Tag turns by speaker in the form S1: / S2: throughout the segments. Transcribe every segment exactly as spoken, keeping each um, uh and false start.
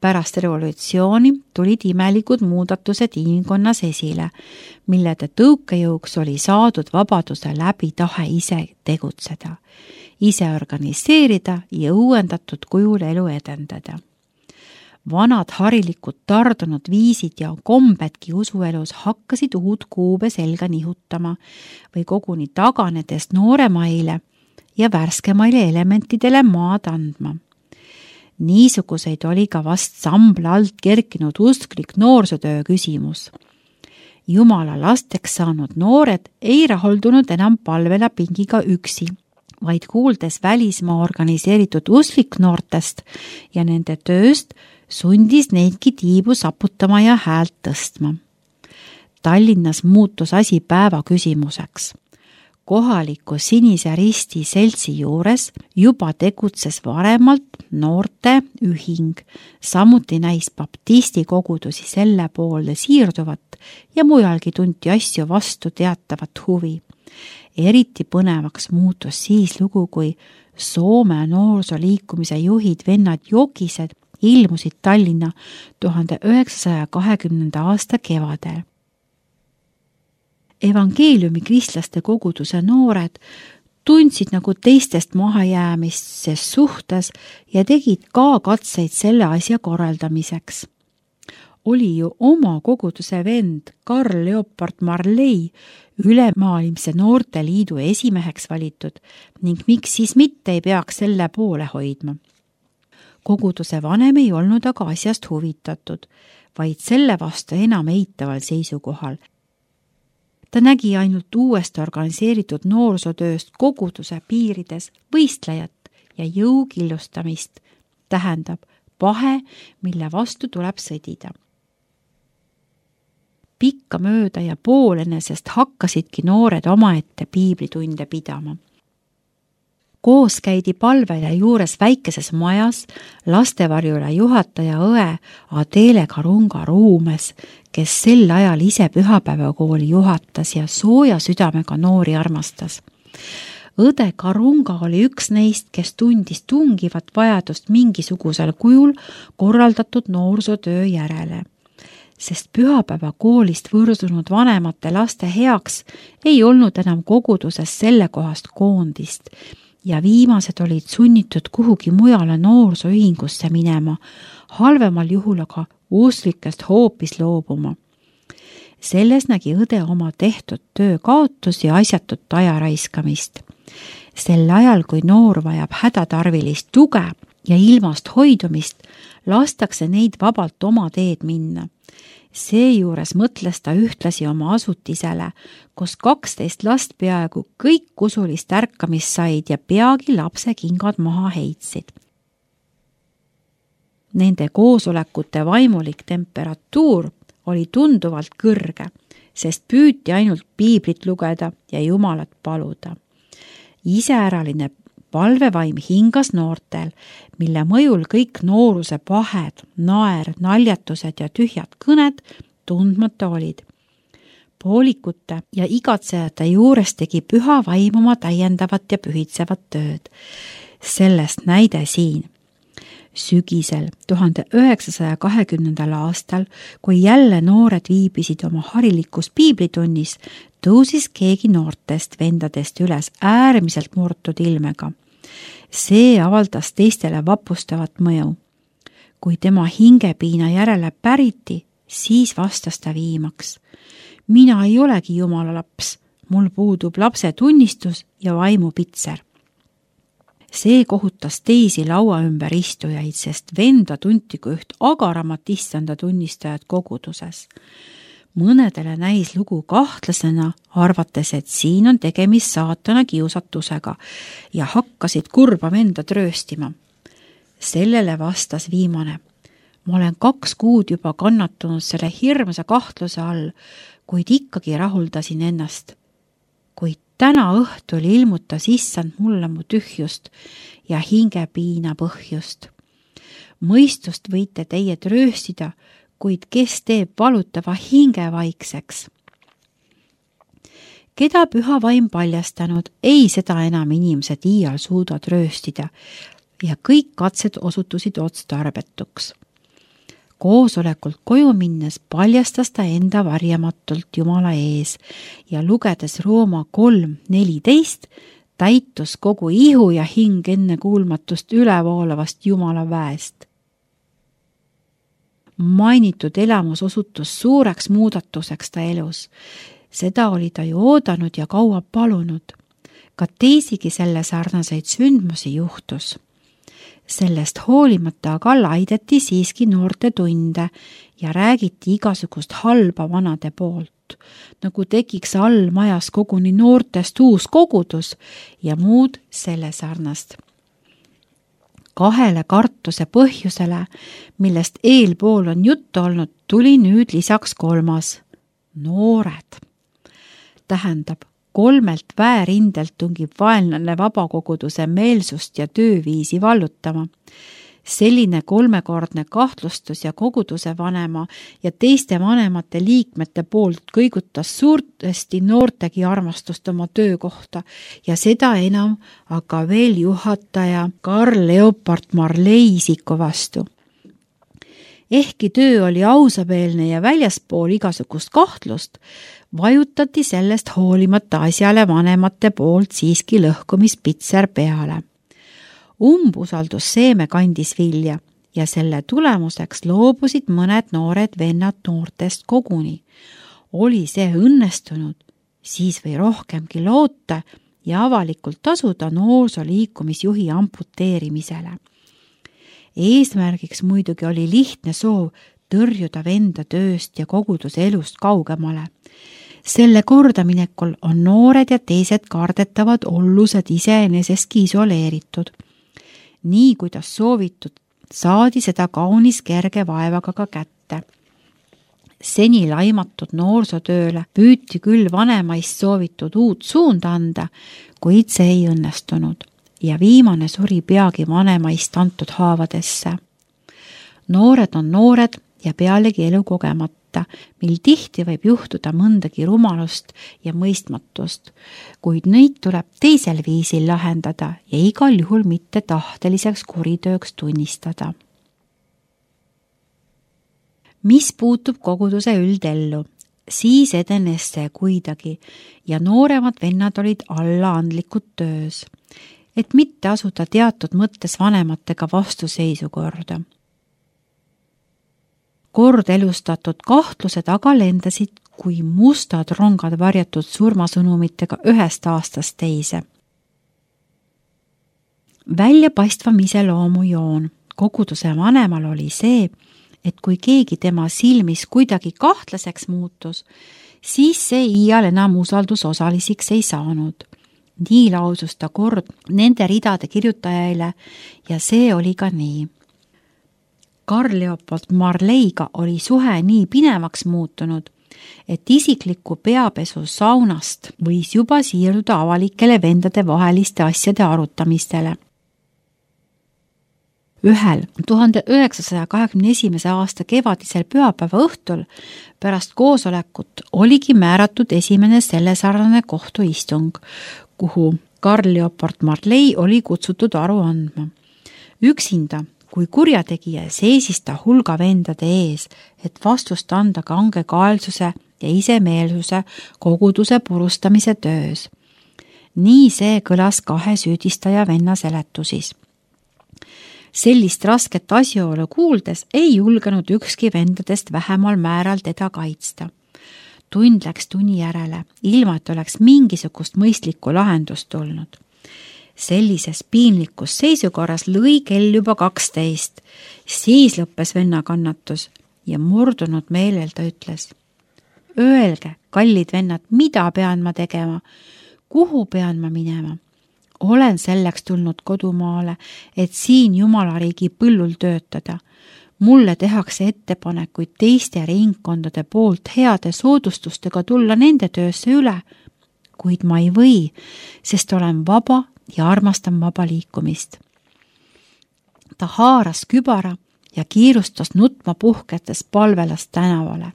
S1: Pärast revolutsiooni tulid imelikud muudatused inimkonnas esile, millede tõukejõuks oli saadud vabaduse läbi tahe ise tegutseda, ise organiseerida ja uuendatud kujul elu edendada. Vanad harilikud tardunud viisid ja kombedki usuelus hakkasid uut kuube selga nihutama või koguni taganedes nooremaile ja värskemaile elementidele maad andma. Niisuguseid oli ka vast sambla alt kerkinud usklik noorsootöö küsimus. Jumala lasteks saanud noored ei rahuldunud enam palvela pingiga üksi, vaid kuuldes välismaa organiseeritud usklik noortest ja nende tööst, sundis neidki tiibu saputama ja häält tõstma. Tallinnas muutus asi päeva küsimuseks. Kohaliku Sinise Risti seltsi juures juba tegutses varemalt noorte ühing, samuti näis baptisti kogudusi selle poole siirduvat ja mujalgi tunti asju vastu teatavat huvi. Eriti põnevaks muutus siis lugu, kui Soome noorsooliikumise juhid vennad Jokised ilmusid Tallinna tuhande üheksasaja kahekümnenda aasta kevadel. Evangeeliumi kristlaste koguduse noored tundsid nagu teistest mahajäämist ses suhtes ja tegid ka katseid selle asja korraldamiseks. Oli ju oma koguduse vend Karl Leopard Marley ülemaailmse noorteliidu esimeheks valitud ning miks siis mitte ei peaks selle poole hoidma. Koguduse vanem ei olnud aga asjast huvitatud, vaid selle vastu enam eitaval seisukohal. Ta nägi ainult uuesti organiseeritud noorsootööst koguduse piirides võistlejat ja jõukillustamist, tähendab pahe, mille vastu tuleb sõdida. Pikka mööda ja poolenesest hakkasidki noored omaette piiblitunde pidama. Koos käidi palvele juures väikeses majas lastevarjule juhataja õe Adele Karunga Ruumes, kes sel ajal ise pühapäevakooli juhatas ja sooja südamega noori armastas. Õde Karunga oli üks neist, kes tundis tungivat vajadust mingisugusel kujul korraldatud noorsootöö järele. Sest pühapäevakoolist võrdunud vanemate laste heaks ei olnud enam koguduses selle kohast koondist, ja viimased olid sunnitud kuhugi mujale noorsooühingusse minema, halvemal juhul aga usklikest hoopis loobuma. Selles nägi õde oma tehtud töö kaotus ja asjatut aja raiskamist. Sel ajal, kui noor vajab hädatarvilist tuge ja ilmast hoidumist, lastakse neid vabalt oma teed minna. Seejuures mõtles ta ühtlasi oma asutisele, kus kaksteist last peaaegu kõik usulist ärkamist said ja peagi lapse kingad maha heitsid. Nende koosolekute vaimulik temperatuur oli tunduvalt kõrge, sest püüti ainult piiblit lugeda ja Jumalat paluda. Iseäraline palvevaim hingas noortel, mille mõjul kõik nooruse pahed, naer, naljatused ja tühjad kõned tundmata olid. Poolikute ja igatsejate juures tegi püha vaim oma täiendavat ja pühitsevat tööd. Sellest näide siin. Sügisel tuhande üheksasaja kahekümnendal aastal, kui jälle noored viibisid oma harilikus piiblitunnis, tõusis keegi noortest vendadest üles äärmiselt murtud ilmega. See avaldas teistele vapustavat mõju. Kui tema hingepiina järele päriti, siis vastas ta viimaks. Mina ei olegi Jumala laps, mul puudub lapse tunnistus ja vaimupitser. See kohutas teisi laua ümber istujaid, sest venda tunti kui üht agaramat issanda tunnistajat koguduses. Mõnedele näis lugu kahtlasena, arvates, et siin on tegemist saatana kiusatusega ja hakkasid kurba venda trööstima. Sellele vastas viimane. Ma olen kaks kuud juba kannatunud selle hirmsa kahtluse all, kuid ikkagi rahuldasin ennast. Kuid täna õhtul ilmutas issand mulle mu tühjust ja hingepiina põhjust. Mõistust võite teie trööstida, kuid kes teeb valutava hinge vaikseks? Keda püha vaim paljastanud, ei seda enam inimesed iial suuda trööstida ja kõik katsed osutusid otstarbetuks. koosolekult koju minnes paljastas ta enda varjamatult Jumala ees ja lugedes Rooma kolm neliteist täitus kogu ihu ja hing ennekuulmatust ülevoolavast Jumala väest. Mainitud elamus osutus suureks muudatuseks ta elus. Seda oli ta ju oodanud ja kaua palunud. Ka teisigi selle sarnaseid sündmusi juhtus. Sellest hoolimata aga laideti siiski noorte tunde ja räägiti igasugust halba vanade poolt, nagu tekiks all majas koguni noortest uus kogudus ja muud selle sarnast. Kahele kartuse põhjusele, millest eelpool on juttu olnud, tuli nüüd lisaks kolmas. Noored. Tähendab, kolmelt väerindelt tungib vaenlane vabakoguduse meelsust ja tööviisi vallutama. Selline kolmekordne kahtlustus ja koguduse vanema ja teiste vanemate liikmete poolt kõigutas suuresti noortegi armastust oma töökohta ja seda enam aga veel juhataja Karl Leopold Marley isiku vastu. Ehkki töö oli ausameelne ja väljaspool igasugust kahtlust, vajutati sellest hoolimata asjale vanemate poolt siiski lõhkumispitser peale. Umbusaldusseeme kandis vilja ja selle tulemuseks loobusid mõned noored vennad noortest koguni. Oli see õnnestunud, siis või rohkemgi loota ja avalikult tasuda noorsoliikumisjuhi amputeerimisele. Eesmärgiks muidugi oli lihtne soov tõrjuda venda tööst ja koguduse elust kaugemale. Selle kordaminekul on noored ja teised kardetavad ollused iseeneseski isoleeritud. Nii kuidas soovitud, saadi seda kaunis kerge vaevaga ka kätte. Seni laimatud noorsotööle püüti küll vanemaist soovitud uut suunda anda, kuid see ei õnnestunud ja viimane suri peagi vanemaist antud haavadesse. Noored on noored ja pealegi elu kogemata, mil tihti võib juhtuda mõndagi rumalust ja mõistmatust, kuid neid tuleb teisel viisil lahendada ja igal juhul mitte tahteliseks kuritööks tunnistada. Mis puutub koguduse üldellu, siis edenes see kuidagi ja nooremad vennad olid allaandlikud töös, et mitte asuda teatud mõttes vanematega vastuseisu korda. Kord elustatud kahtlused aga lendasid kui mustad rongad varjatud surmasõnumitega ühest aastast teise. Väljapaistvam iseloomu joon koguduse vanemal oli see, et kui keegi tema silmis kuidagi kahtlaseks muutus, siis see iial enam usaldusosaliseks ei saanud. Nii lausus ta kord nende ridade kirjutajaile ja see oli ka nii. Karl Leopold Marleyga oli suhe nii pinevaks muutunud, et isikliku peapesu saunast võis juba siirduda avalikele vendade vaheliste asjade arutamistele. Ühel tuhande üheksasaja kahekümne esimese aasta kevadisel pühapäeva õhtul pärast koosolekut oligi määratud esimene sellesarnane kohtuistung, kuhu Karl Leopold Marley oli kutsutud aru andma. Üksinda kui kurjategija seisis ta hulga vendade ees, et vastust anda kangekaelsuse ja isemeelsuse koguduse purustamise töös. Nii see kõlas kahe süüdistaja venna seletusis. Sellist rasket asjaolu kuuldes ei julgenud ükski vendadest vähemal määral teda kaitsta. Tund läks tunni järele, ilma et oleks mingisugust mõistlikku lahendust tulnud. Sellises piinlikus seisukorras lõi kell juba kaksteist, siis lõppes venna kannatus ja murdunud meelel ta ütles: Öelge, kallid vennad, mida pean ma tegema? Kuhu pean ma minema? Olen selleks tulnud kodumaale, et siin Jumalariigi põllul töötada. Mulle tehakse ettepanekuid teiste ringkondade poolt heade soodustustega tulla nende töösse üle, kuid ma ei või, sest olen vaba ja armastan vaba liikumist. Ta haaras kübara ja kiirustas nutma puhketes palvelast tänavale.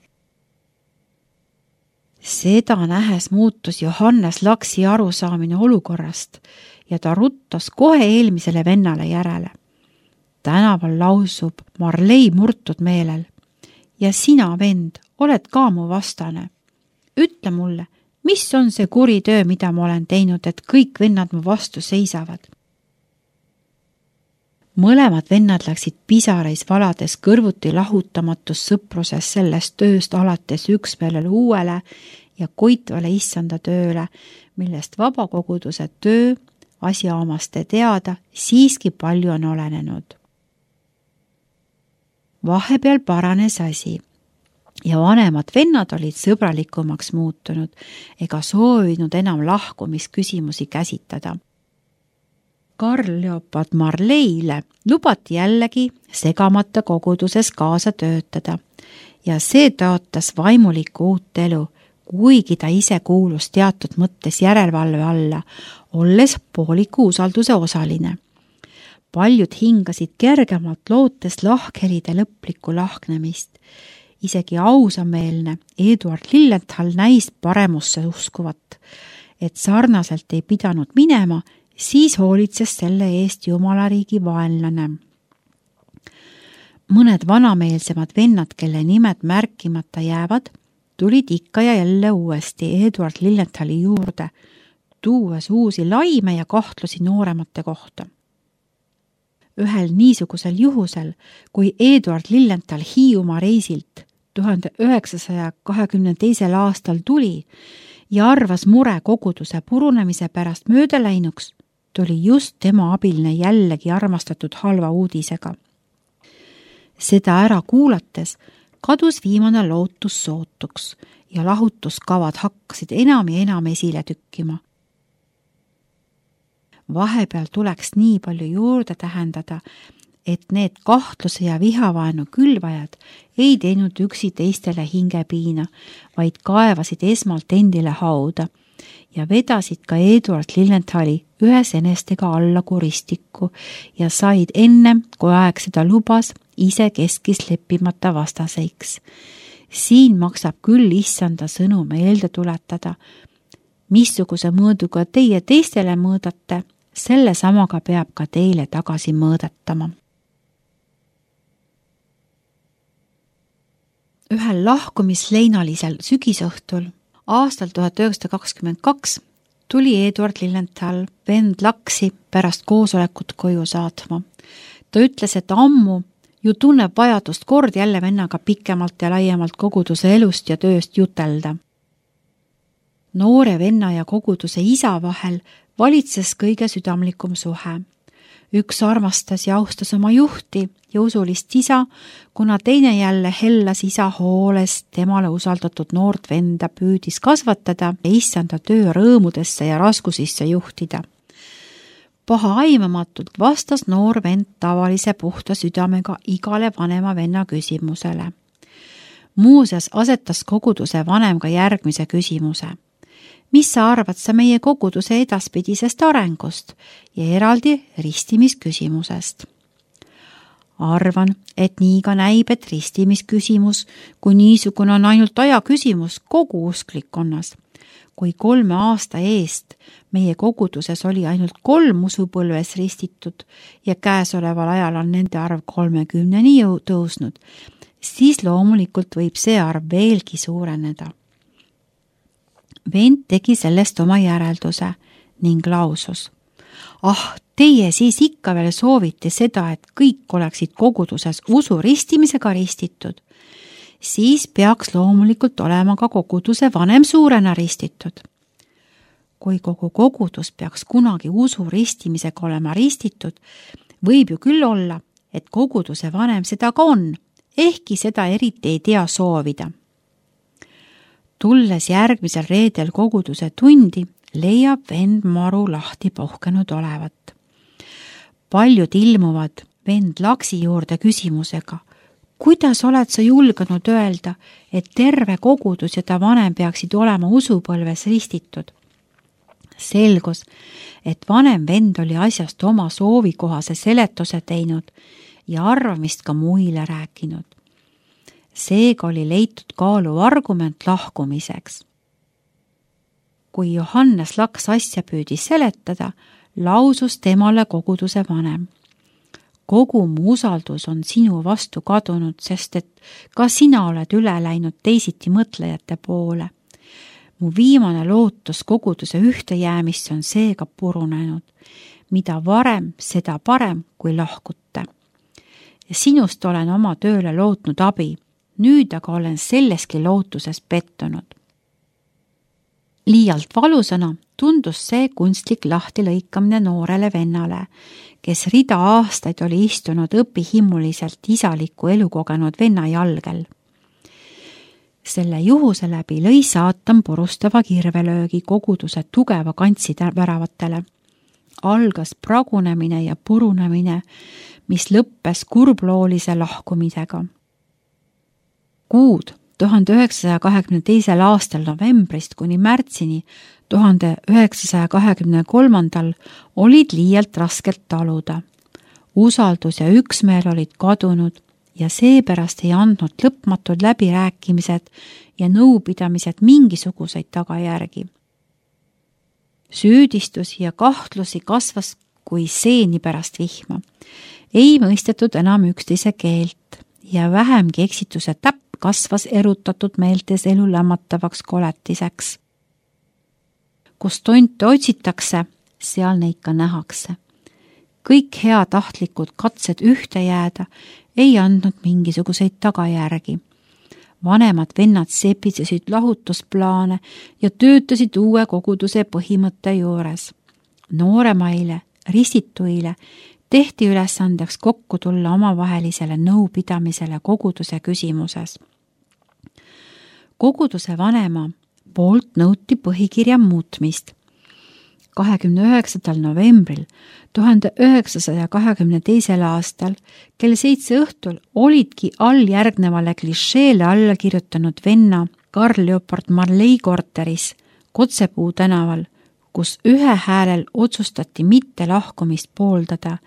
S1: Seda nähes muutus Johannes Laksi arusaamine olukorrast ja ta ruttas kohe eelmisele vennale järele. Tänaval lausub Marley murtud meelel: ja sina, vend, oled ka mu vastane. Ütle mulle, mis on see kuri töö, mida ma olen teinud, et kõik vennad mu vastu seisavad? Mõlemad vennad läksid pisareis valades kõrvuti lahutamatus sõpruses sellest tööst alates üksmeelele uuele ja koitvale issanda tööle, millest vabakoguduse töö asjaomaste teada siiski palju on olenenud. Vahepeal paranes asi ja vanemad vennad olid sõbralikumaks muutunud ega soovinud enam lahkumisküsimusi käsitada. Karl Leopold Marleile lubati jällegi segamata koguduses kaasa töötada ja see tõotas vaimulikku uut elu, kuigi ta ise kuulus teatud mõttes järelevalve alla, olles pooliku usalduse osaline. Paljud hingasid kergemalt lootes lahkhelide lõplikku lahknemist. Isegi ausameelne Eduard Lilienthal näis paremusse uskuvat, et sarnaselt ei pidanud minema, siis hoolitses selle eest Jumalariigi vaenlane. Mõned vanameelsemad vennad, kelle nimed märkimata jäävad, tulid ikka ja jälle uuesti Eduard Lilienthali juurde, tuues uusi laime ja kahtlusi nooremate kohta. Ühel niisugusel juhusel, kui Eduard Lilienthal Hiiumaa reisilt tuhande üheksasaja kahekümne teisel aastal tuli ja arvas mure koguduse purunemise pärast mööda läinuks, tuli just tema abiline jällegi armastatud halva uudisega. Seda ära kuulates kadus viimane lootus sootuks ja lahutuskavad hakkasid enam ja enam esile tükkima. Vahepeal tuleks nii palju juurde tähendada, et need kahtluse ja vihavaenu külvajad ei teinud üksi teistele hingepiina, vaid kaevasid esmalt endile hauda ja vedasid ka Eduard Lilienthali ühes enestega alla kuristikku ja said ennem, kui aeg seda lubas, ise keskis leppimata vastaseiks. Siin maksab küll issanda sõnu meelde tuletada. Missuguse mõõduga teie teistele mõõdate, selle samaga peab ka teile tagasi mõõdetama. Ühel lahkumisleinalisel sügisõhtul aastal tuhat üheksasada kakskümmend kaks tuli Eduard Lilienthal vend Laksi pärast koosolekut koju saatma. Ta ütles, et ammu ju tunneb vajadust kord jälle vennaga pikemalt ja laiemalt koguduse elust ja tööst jutelda. Noore venna ja koguduse isa vahel valitses kõige südamlikum suhe. Üks armastas ja austas oma juhti ja usulist isa, kuna teine jälle hellas isa hooles temale usaldatud noort venda püüdis kasvatada ja issanda töö rõõmudesse ja raskusisse juhtida. Paha aimamatult vastas noor vend tavalise puhta südamega igale vanema venna küsimusele. Muuseas asetas koguduse vanem ka järgmise küsimuse. Mis sa arvad sa meie koguduse edaspidisest arengust ja eraldi ristimisküsimusest? Arvan, et nii ka näib, et ristimisküsimus, kui niisugune on ainult aja küsimus kogu usklikkonnas. Kui kolme aasta eest meie koguduses oli ainult kolm usupõlves ristitud ja käesoleval ajal on nende arv kolmekümneni tõusnud, siis loomulikult võib see arv veelgi suureneda. Vend tegi sellest oma järelduse ning lausus. Ah, teie siis ikka veel soovite seda, et kõik oleksid koguduses usu ristimisega ristitud. Siis peaks loomulikult olema ka koguduse vanem suurena ristitud. Kui kogu kogudus peaks kunagi usu ristimisega olema ristitud, võib ju küll olla, et koguduse vanem seda ka on, ehkki seda eriti ei tea soovida. Tulles järgmisel reedel koguduse tundi, leiab vend maru lahti puhkenud olevat. Paljud ilmuvad vend Laksi juurde küsimusega, kuidas oled sa julgenud öelda, et terve kogudus ja ta vanem peaksid olema usupõlves ristitud? Selgus, et vanem vend oli asjast oma soovikohase seletuse teinud ja arvamist ka muile rääkinud. Seega oli leitud kaaluv argument lahkumiseks. Kui Johannes Laks asja püüdis seletada, lausus temale koguduse vanem. kogu mu usaldus on sinu vastu kadunud, sest et ka sina oled üle läinud teisiti mõtlejate poole. Mu viimane lootus koguduse ühte jäämisse on seega purunenud. Mida varem, seda parem, kui lahkute. Ja sinust olen oma tööle lootnud abi. Nüüd aga olen selleski lootuses pettunud. Liialt valusana tundus see kunstlik lahtilõikamine noorele vennale, kes rida aastaid oli istunud õpihimmuliselt isaliku elukogenud venna jalgel. Selle juhuse läbi lõi saatan purustava kirvelöögi koguduse tugeva kantsi väravatele. Algas pragunemine ja purunemine, mis lõppes kurbloolise lahkumisega. Kuud tuhande üheksasaja kahekümne teisel aastal novembrist kuni märtsini tuhande üheksasaja kahekümne kolmandal olid liialt raskelt taluda. Usaldus ja üksmeel olid kadunud ja seepärast ei andnud lõpmatud läbirääkimised ja nõupidamised mingisuguseid tagajärgi. Süüdistusi ja kahtlusi kasvas kui seeni pärast vihma. Ei mõistetud enam üksteise keelt ja vähemgi eksituse täpp kasvas erutatud meeltes elu lämmatavaks koletiseks. Kus tonte otsitakse, seal neid ka nähakse. Kõik heatahtlikud katsed ühte jääda ei andnud mingisuguseid tagajärgi. Vanemad vennad sepisesid lahutusplaane ja töötasid uue koguduse põhimõtte juures. Nooremaile, ristituile tehti ülesandeks kokku tulla omavahelisele nõupidamisele koguduse küsimuses. Koguduse vanema poolt nõuti põhikirja muutmist. kahekümne üheksandal novembril tuhande üheksasaja kahekümne teisel aastal kell seitse õhtul olidki all järgnevale klišeele alla kirjutanud venna Karl Leopold Marley korteris Kotsepuu tänaval, kus ühe häälel otsustati mitte lahkumist pooldada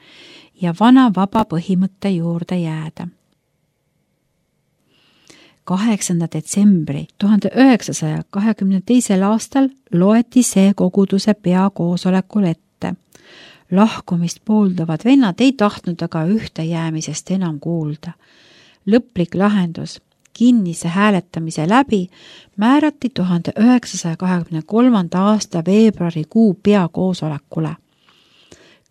S1: ja vana vaba põhimõtte juurde jääda. kaheksanda detsembri tuhande üheksasaja kahekümne teisel aastal loeti see koguduse peakoosolekul ette. Lahkumist pooldavad vennad ei tahtnud aga ühte jäämisest enam kuulda. Lõplik lahendus kinnise hääletamise läbi määrati tuhande üheksasaja kahekümne kolmanda aasta veebruarikuu peakoosolekule.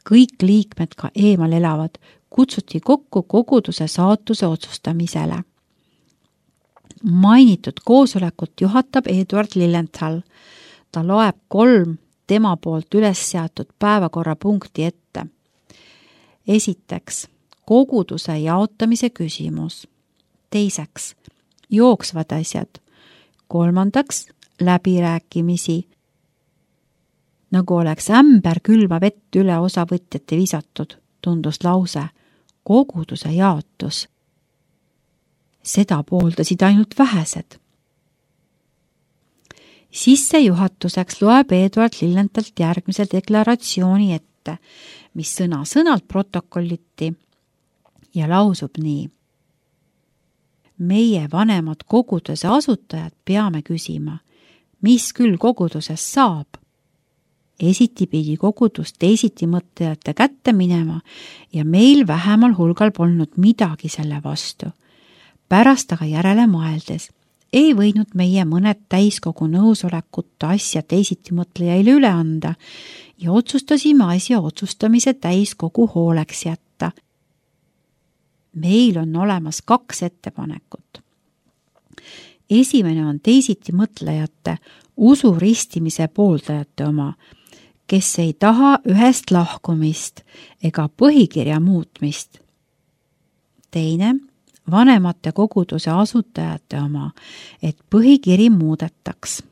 S1: Kõik liikmed, ka eemal elavad, kutsuti kokku koguduse saatuse otsustamisele. Mainitud koosolekut juhatab Eduard Lilienthal. Ta loeb kolm tema poolt üles seatud päevakorrapunkti ette. Esiteks, koguduse jaotamise küsimus. Teiseks, jooksvad asjad. Kolmandaks, läbirääkimisi. Nagu oleks ämber külma vett üle osavõtjate visatud, tundus lause, koguduse jaotus. Seda pooldasid ainult vähesed. Sissejuhatuseks loeb Eduard Lilienthalt järgmise deklaratsiooni ette, mis sõna sõnalt protokolliti ja lausub nii. Meie vanemad koguduse asutajad peame küsima, mis küll koguduses saab. Esiti pidi kogudus teisiti mõtlejate kätte minema ja meil vähemal hulgal polnud midagi selle vastu. Pärast aga järele mõeldes ei võinud meie mõned täiskogu nõusolekut asja teisiti mõtlejaile üle anda ja otsustasime asja otsustamise täiskogu hooleks jätta. Meil on olemas kaks ettepanekut. Esimene on teisiti mõtlejate usu ristimise pooldajate oma, kes ei taha ühest lahkumist ega põhikirja muutmist. Teine vanemate koguduse asutajate oma, et põhikiri muudetaks.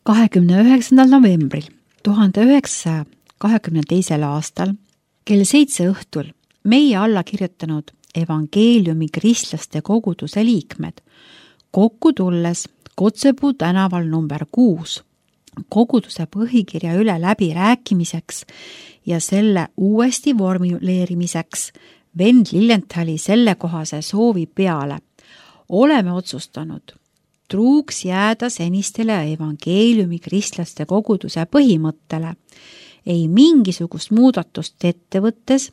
S1: kahekümne üheksandal novembril tuhande üheksasaja kahekümne teisel aastal kell seitse õhtul meie alla kirjutanud evangeeliumi kristlaste koguduse liikmed kokku tulles Kotsepuu tänaval number kuus koguduse põhikirja üle läbi rääkimiseks ja selle uuesti vormuleerimiseks vend Lilienthali sellekohase soovi peale. Oleme otsustanud truuks jääda senistele evangeeliumi kristlaste koguduse põhimõttele, ei mingisugust muudatust ette võttes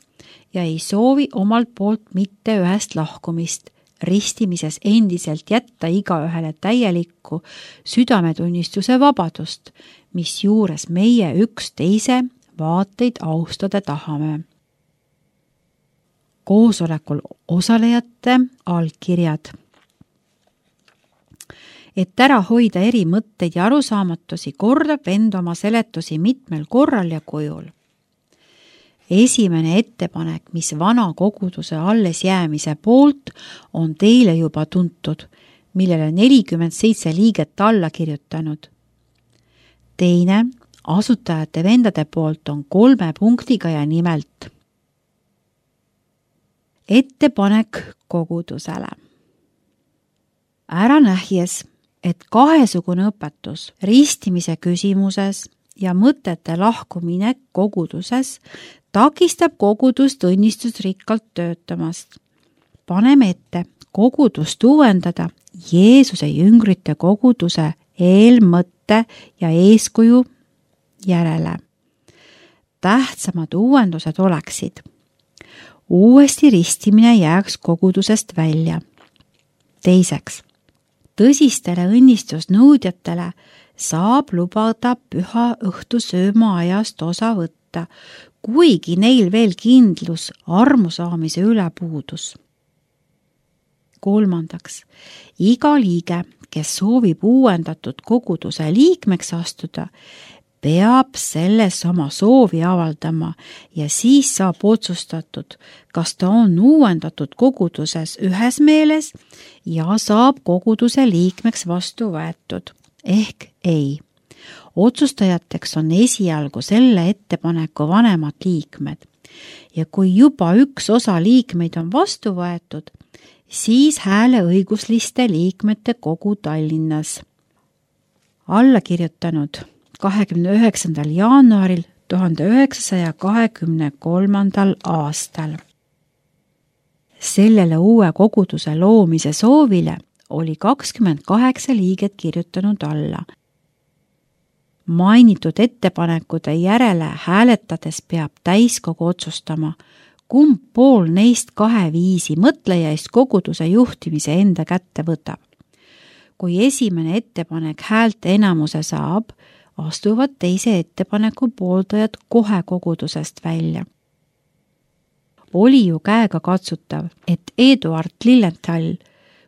S1: ja ei soovi omalt poolt mitte ühest lahkumist, ristimises endiselt jätta igaühele täielikku südametunnistuse vabadust, mis juures meie üksteise vaateid austada tahame. Koosolekul osalejate allkirjad. Et ära hoida eri mõtteid ja arusaamatusi, kordab vend oma seletusi mitmel korral ja kujul. Esimene ettepanek, mis vana koguduse alles jäämise poolt, on teile juba tuntud, millele nelikümmend seitse liiget alla kirjutanud. Teine, asutajate vendade poolt on kolme punktiga ja nimelt ettepanek kogudusele. Ära nähjes, et kahesugune õpetus ristimise küsimuses ja mõtete lahkumine koguduses takistab kogudust õnnistusrikkalt töötamast. Paneme ette kogudust uuendada Jeesuse jüngrite koguduse eelmõtte ja eeskuju järele. Tähtsamad uuendused oleksid: uuesti ristimine jääks kogudusest välja. Teiseks, tõsistele õnnistusnõudjatele saab lubada püha õhtu söömaajast osa võtta, kuigi neil veel kindlus armusaamise üle puudus. Kolmandaks, iga liige, kes soovib uuendatud koguduse liikmeks astuda, peab selles oma soovi avaldama ja siis saab otsustatud, kas ta on uuendatud koguduses ühes meeles ja saab koguduse liikmeks vastu võetud, ehk ei. Otsustajateks on esialgu selle ettepaneku vanemad liikmed ja kui juba üks osa liikmeid on vastu võetud, siis hääleõigusliste liikmete kogu Tallinnas. Alla kirjutanud kahekümne üheksandal jaanuaril tuhande üheksasaja kahekümne kolmandal aastal. Sellele uue koguduse loomise soovile oli kakskümmend kaheksa liiget kirjutanud alla. Mainitud ettepanekute järele hääletades peab täiskogu otsustama, kumb pool neist kahe viisi mõtlejaist koguduse juhtimise enda kätte võtab. Kui esimene ettepanek häälte enamuse saab, astuvad teise ettepaneku pooldajad kohe kogudusest välja. Oli ju käega katsutav, et Eduard Lilienthal,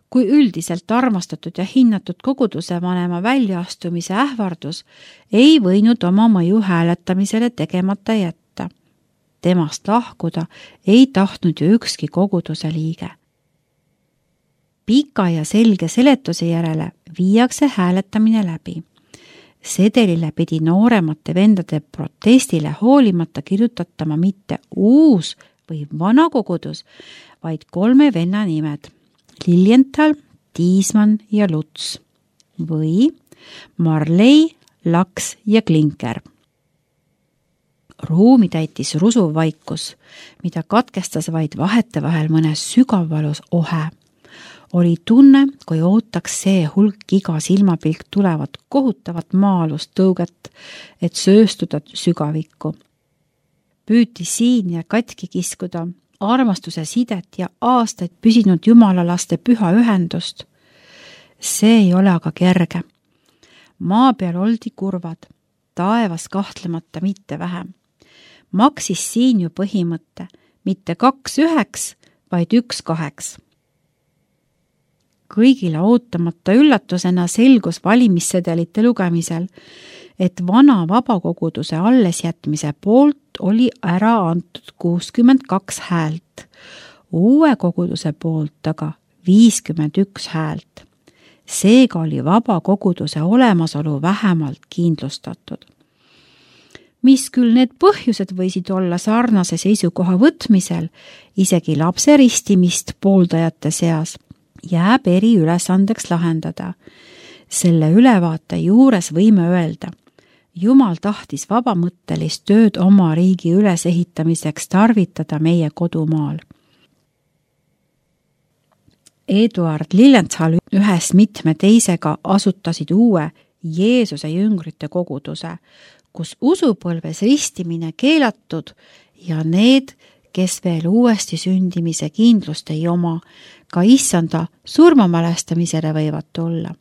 S1: kui üldiselt armastatud ja hinnatud koguduse vanema väljaastumise ähvardus, ei võinud oma mõju hääletamisele tegemata jätta. Temast lahkuda ei tahtnud ju ükski koguduse liige. Pika ja selge seletuse järele viiakse hääletamine läbi. Sedelile pidi nooremate vendade protestile hoolimata kirjutatama mitte uus või vana kogudus, vaid kolme venna nimed: Lilienthal, Tiismann ja Luts või Marley, Laks ja Klinker. Ruumi täitis rusuv vaikus, mida katkestas vaid vahetevahel mõne sügavvalus ohe. Oli tunne, kui ootaks see hulk iga silmapilk tulevat kohutavat maalust tõuget, et sööstuda sügavikku. Püüti siin ja katki kiskuda armastuse sidet ja aastaid püsinud jumalalaste püha ühendust. See ei ole aga kerge. Maa peal oldi kurvad, taevas kahtlemata mitte vähem. Maksis siin ju põhimõtte, mitte kaks üheks, vaid üks kaheks. Kõigile ootamata üllatusena selgus valimissedelite lugemisel, et vana vabakoguduse allesjätmise poolt oli ära antud kuuskümmend kaks häält, uue koguduse poolt aga viiskümmend üks häält. Seega oli vabakoguduse olemasolu vähemalt kindlustatud. Mis küll need põhjused võisid olla sarnase seisukoha võtmisel, isegi lapse ristimist pooldajate seas, jääb eri ülesandeks lahendada. Selle ülevaate juures võime öelda, Jumal tahtis vabamõttelist tööd oma riigi ülesehitamiseks tarvitada meie kodumaal. Eduard Lilienthal ühes mitme teisega asutasid uue Jeesuse jüngrite koguduse, kus usupõlves ristimine keelatud ja need, kes veel uuesti sündimise kindlust ei oma, ka issanda surmamälestamisele võivad tulla.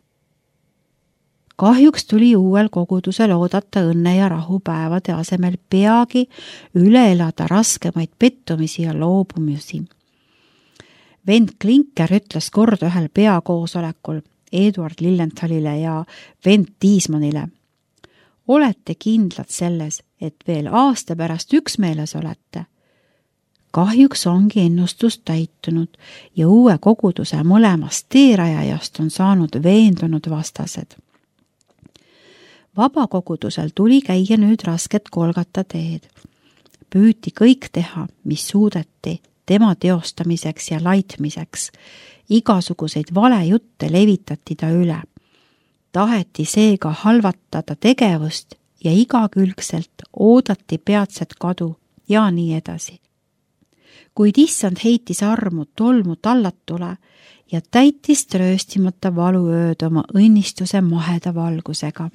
S1: Kahjuks tuli uuel kogudusel oodata õnne ja rahupäevade asemel peagi üle elada raskemaid pettumisi ja loobumisi. Vend Klinker ütles kord ühel peakoosolekul Eduard Lillenthalile ja vend Tiismanile: olete kindlad selles, et veel aasta pärast üksmeeles olete? Kahjuks ongi ennustus täitunud ja uue koguduse mõlemast teerajajast on saanud veendunud vastased. Vabakogudusel tuli käia nüüd rasket Golgata teed. Püüti kõik teha, mis suudeti tema teostamiseks ja laitmiseks. Igasuguseid valejutte levitati ta üle. Taheti seega halvatada tegevust ja igakülgselt oodati peatset kadu ja nii edasi. Kuid issand heitis armu tolmu tallatule ja täitis trööstimata valuööd oma õnnistuse maheda valgusega.